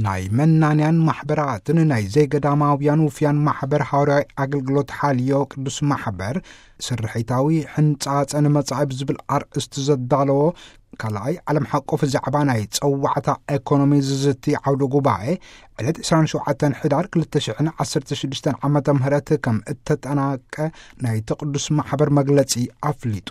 ናይ መናንያን ማሕበራትን ናይ ዘይገዳማውያን ውፍያን ማሕበር ሃዋርያዊ ኣገልግሎት ሓልዮ ቅዱስ ማሕበር ስርሒታዊ ሕንጻጸ ንመጻኢ ብዝብል ኣርእስቲ ዘዳለዎ ካልኣይ ዓለም ሓቆፍ ዛዕባ ናይ ጸዋዕታ ኤኮኖሚ ዝዝቲ ዓውደ ጉባኤ ዕለት ዕስራን ሸውዓተን ሕዳር ክልተ ሽሕን ዓሰርተ ሽዱሽተን ዓመተ ምህረት ከም እተጠናቀ ናይቲ ቅዱስ ማሕበር መግለጺ ኣፍሊጡ።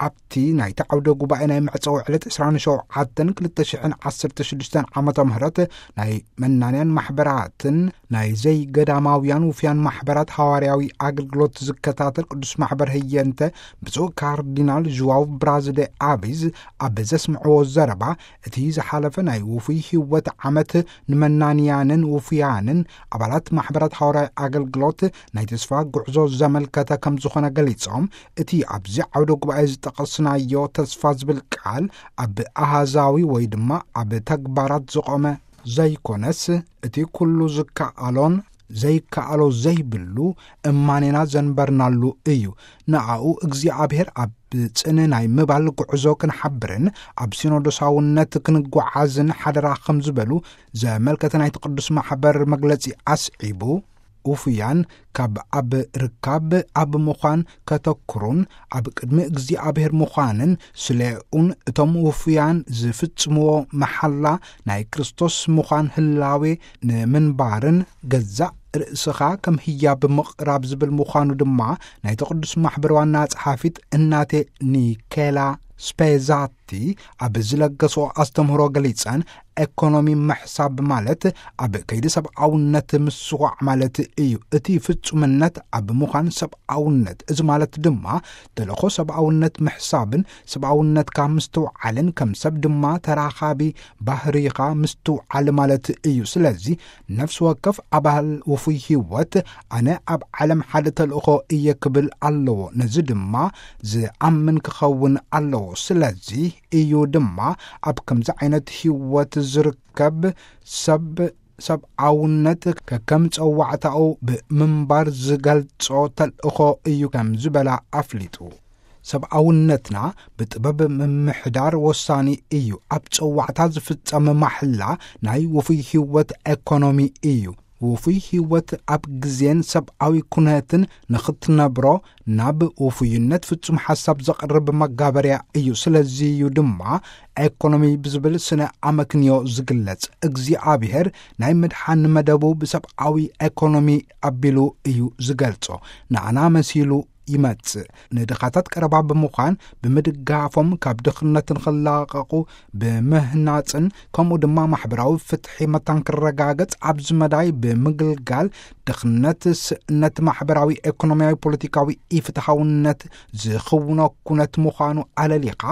ኣብቲ ናይቲ ዓውደ ጉባኤ ናይ መዕጸዊ ዕለት ዕስራን ሸውዓተን ክልተ ሽሕን ዓሰርተ ሽዱሽተን ዓመተ ምህረት ናይ መናንያን ማሕበራትን ናይ ዘይገዳማውያን ውፍያን ማሕበራት ሃዋርያዊ ኣገልግሎት ዝከታተል ቅዱስ ማሕበር ህየንተ ብፁዕ ካርዲናል ዥዋው ብራዝደ ኣቢዝ ኣብ ዘስምዕዎ ዘረባ፣ እቲ ዝሓለፈ ናይ ውፉይ ህይወት ዓመት ንመናንያንን ውፉያንን ኣባላት ማሕበራት ሃዋርያዊ ኣገልግሎት ናይ ተስፋ ጉዕዞ ዘመልከተ ከም ዝኾነ ገሊጾም፣ እቲ ኣብዚ ዓውደ ጉባኤ ዝጠቐስናዮ ተስፋ ዝብል ቃል ኣብ ኣሃዛዊ ወይ ድማ ኣብ ተግባራት ዝቖመ ዘይኮነስ፣ እቲ ኩሉ ዝከኣሎን ዘይከኣሎ ዘይብሉ እማኔና ዘንበርናሉ እዩ። ንኣኡ እግዚኣብሔር ኣብ ጽን ናይ ምባል ጉዕዞ ክንሓብርን ኣብ ሲኖዶሳውነት ክንጓዓዝን ሓደራ ከም ዝበሉ ዘመልከተ ናይቲ ቅዱስ ማሕበር መግለጺ ኣስዒቡ፣ ውፉያን ካብ ኣብ ርካብ ኣብ ምዃን ከተኩሩን ኣብ ቅድሚ እግዚኣብሔር ምዃንን ስለኡን እቶም ውፉያን ዝፍጽምዎ መሓላ ናይ ክርስቶስ ምዃን ህላዌ ንምንባርን ገዛእ ርእስኻ ከም ህያብ ምቕራብ ዝብል ምዃኑ ድማ ናይቲ ቅዱስ ማሕበር ዋና ጸሓፊት እናቴ ኒኬላ ስፔዛቲ ኣብ ዝለገስኦ ኣስተምህሮ ገሊጸን፣ ኤኮኖሚ ምሕሳብ ማለት ኣብ ከይዲ ሰብኣውነት ምስዋዕ ማለት እዩ። እቲ ፍጹምነት ኣብ ምዃን ሰብኣውነት፣ እዚ ማለት ድማ ተልእኾ ሰብኣውነት ምሕሳብን ሰብኣውነትካ ምስትውዓልን ከም ሰብ ድማ ተራኻቢ ባህሪኻ ምስትውዓል ማለት እዩ። ስለዚ ነፍሲ ወከፍ ኣባል ውፉይ ህይወት ኣነ ኣብ ዓለም ሓደ ተልእኾ እየ ክብል ኣለዎ። ነዚ ድማ ዝኣምን ክኸውን ኣለዎ። ስለዚ እዩ ድማ ኣብ ከምዚ ዓይነት ህይወት ዝርከብ ሰብ ሰብኣውነት ከከም ጸዋዕታኡ ብምንባር ዝገልጾ ተልእኾ እዩ ከም ዝበላ ኣፍሊጡ። ሰብኣውነትና ብጥበብ ምምሕዳር ወሳኒ እዩ። ኣብ ጸዋዕታ ዝፍጸም ማሕላ ናይ ውፉይ ህይወት ኤኮኖሚ እዩ። ውፉይ ህይወት ኣብ ግዜን ሰብኣዊ ኩነትን ንኽትነብሮ ናብ ውፉይነት ፍጹም ሓሳብ ዘቕርብ መጋበርያ እዩ። ስለዚ እዩ ድማ ኤኮኖሚ ብዝብል ስነ ኣመክንዮ ዝግለጽ። እግዚኣብሔር ናይ ምድሓን መደቡ ብሰብኣዊ ኤኮኖሚ ኣቢሉ እዩ ዝገልጾ። ንኣና መሲሉ ይመጽእ። ንድኻታት ቀረባ ብምዃን ብምድጋፎም ካብ ድኽነት ንኽላቐቑ ብምህናጽን ከምኡ ድማ ማሕበራዊ ፍትሒ መታን ክረጋገጽ ኣብዚ መዳይ ብምግልጋል ድኽነት፣ ስእነት፣ ማሕበራዊ፣ ኤኮኖሚያዊ፣ ፖለቲካዊ ኢፍትሃውነት ዝኽውኖ ኩነት ምዃኑ ኣለሊኻ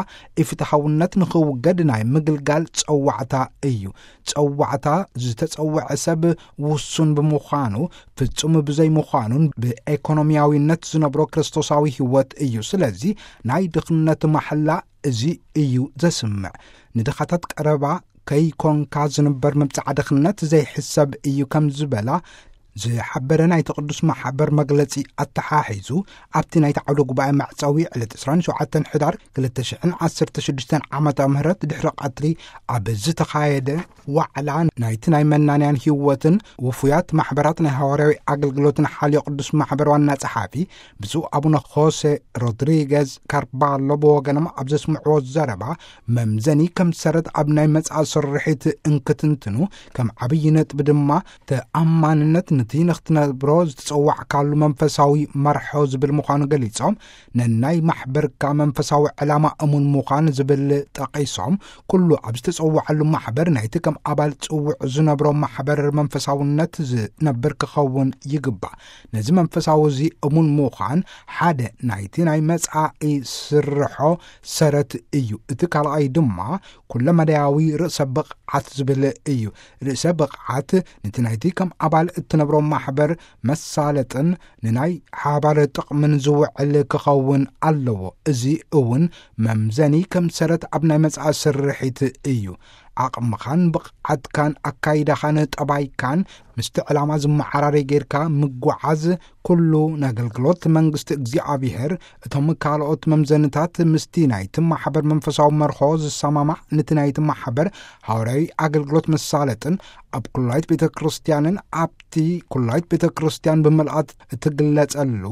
ኢፍትሃውነት ንኽውገድ ናይ ምግልጋል ጸዋዕታ እዩ። ጸዋዕታ ዝተጸውዐ ሰብ ውሱን ብምዃኑ ፍጹም ብዘይምዃኑን ብኤኮኖሚያዊነት ዝነብሮ ክርስቶሳዊ ህይወት እዩ። ስለዚ ናይ ድኽነት ማሕላ እዚ እዩ ዘስምዕ። ንድኻታት ቀረባ ከይኮንካ ዝንበር ምብጻዕ ድኽነት ዘይሕሰብ እዩ ከም ዝበላ ዝሓበረ ናይቲ ቅዱስ ማሕበር መግለጺ ኣተሓሒዙ ኣብቲ ናይቲ ዓውደ ጉባኤ መዕጸዊ ዕለት ዕስራን ሸውዓተን ሕዳር ክልተ ሽሕን ዓሰርተ ሽዱሽተን ዓመተ ምህረት ድሕሪ ቀትሪ ኣብ ዝተኻየደ ዋዕላ ናይቲ ናይ መናንያን ህይወትን ውፉያት ማሕበራት ናይ ሃዋርያዊ ኣገልግሎትን ሓልዮ ቅዱስ ማሕበር ዋና ጸሓፊ ብፁዕ ኣቡነ ሆሴ ሮድሪገዝ ካርባሎ ብወገኖም ኣብ ዘስምዕዎ ዘረባ፣ መምዘኒ ከም ሰረት ኣብ ናይ መጻኢ ስርሒት እንክትንትኑ ከም ዓብዪ ነጥቢ ድማ ተኣማንነት ነቲ ንኽትነብሮ ዝተጸዋዕካሉ መንፈሳዊ መርሖ ዝብል ምዃኑ ገሊጾም፣ ነናይ ማሕበርካ መንፈሳዊ ዕላማ እሙን ምዃን ዝብል ጠቒሶም፣ ኩሉ ኣብ ዝተጸውዐሉ ማሕበር ናይቲ ከም ኣባል ጽውዕ ዝነብሮ ማሕበር መንፈሳውነት ዝነብር ክኸውን ይግባእ። ነዚ መንፈሳዊ እዚ እሙን ምዃን ሓደ ናይቲ ናይ መጻኢ ስርሖ ሰረት እዩ። እቲ ካልኣይ ድማ ኩለመዳያዊ ርእሰ ብቕዓት ዝብል እዩ። ርእሰ ብቕዓት ነቲ ናይቲ ከም ኣባል እትነብሮ ማሕበር መሳለጥን ንናይ ሓባር ጥቕምን ዝውዕል ክኸውን ኣለዎ። እዚ እውን መምዘኒ ከም ሰረት ኣብ ናይ መጻኢ ስርሒት እዩ። ዓቕምኻን ብቕዓትካን ኣካይዳኻን ጠባይካን ምስቲ ዕላማ ዝመዓራረይ ጌርካ ምጓዓዝ፣ ኩሉ ንኣገልግሎት መንግስቲ እግዚኣብሔር፣ እቶም ካልኦት መምዘንታት ምስቲ ናይቲ ማሕበር መንፈሳዊ መርሆ ዝሰማማዕ፣ ነቲ ናይቲ ማሕበር ሃዋርያዊ ኣገልግሎት መሳለጥን ኣብ ኩላይት ቤተ ክርስቲያንን ኣብቲ ኩላይት ቤተ ክርስቲያን ብምልኣት እትግለጸሉ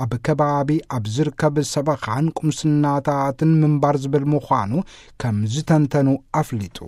ኣብ ከባቢ ኣብ ዝርከብ ሰበኻን ቁምስናታትን ምንባር ዝብል ምዃኑ ከም ዝተንተኑ ኣፍሊጡ።